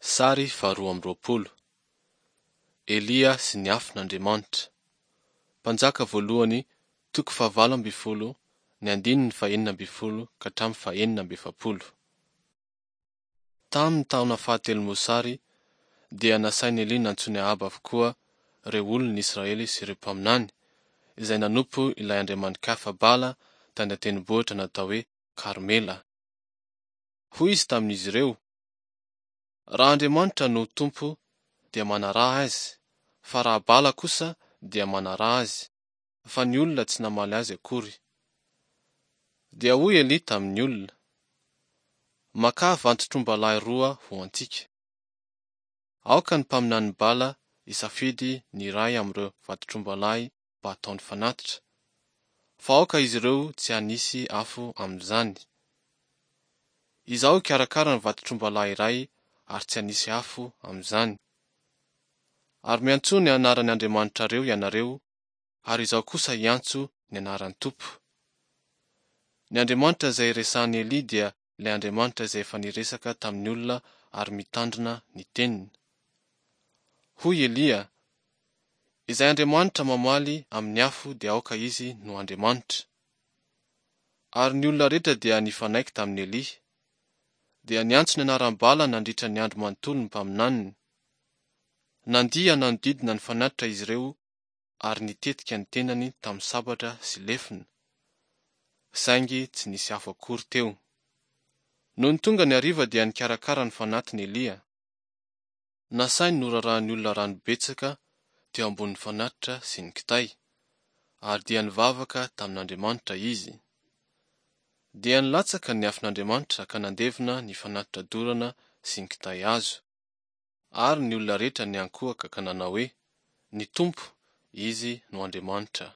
Sary faharoa amby roapolo. Elia sy ny afon'Andriamanitra. Mpanjaka voalohany toko fahavalo ambin'ny folo ny andininy fahenina ambin'ny folo ka hatramin'ny fahenina amby efapolo. Tamin'ny taona fahatelo mosary dia nasain'i Elia nantsoin'i Ahaba avokoa ireo olon'ny Israely sy ireo mpaminany, izay nanompo ilay andriamani-kafa Bala tany an-tendrombohitra natao hoe Karmela. Hoy izy tamin'izy ireo, Raha Andriamanitra no Tompo dia manaraha Azy, fa raha Bala kosa dia manaraha azy, fa ny olona tsy namaly azy akory. Dia hoy Elia tamin'ny olona, Makà vantotr'ombalahy roa ho antsika. Aoka ny mpaminanin'i Bala hisafidy ny iray amin'ireo vantotr'ombalahy mba hataony fanatitra, fa aoka izy ireo tsy hanisy afo amin'izany. Izaho hikarakara ny vantotr'ombalahy iray ary tsy hanisy afo amin'izany. Ary miantsoa ny anaran'ny andriamanitrareo ianareo ary izaho kosa hiantso ny anaran'ny Tompo. Ny Andriamanitra izay resahan'i Elia dia ilay Andriamanitra izay efa niresaka tamin'ny olona ary mitandrina ny teniny. Hoy Elia, Izay Andriamanitra mamaly amin'ny afo dia aoka izy no Andriamanitra. Ary ny olona rehetra dia nifanaiky tamin'i Elia. Dia niantso ny anaran'i Bala nandritra ny andro manontolo ny mpaminaniny. Nandihy nanodidina ny fanatitra izy ireo ary nitetika ny tenany tamin'ny sabatra sy lefona. Saingy tsy nisy afo akory teo. Nony tonga ny hariva dia nikarakara ny fanatiny Elia. Nasainy norarahan'ny olona rano betsaka teo ambonin'ny fanatitra sy ny kitay, ary dia nivavaka tamin'Andriamanitra izy. Dia nilatsaka ny afon'Andriamanitra ka nandevona ny fanatitra dorana sy ny kitay hazo. Ary ny olona rehetra niankohoka ka nanao hoe, Ny Tompo, Izy no Andriamanitra.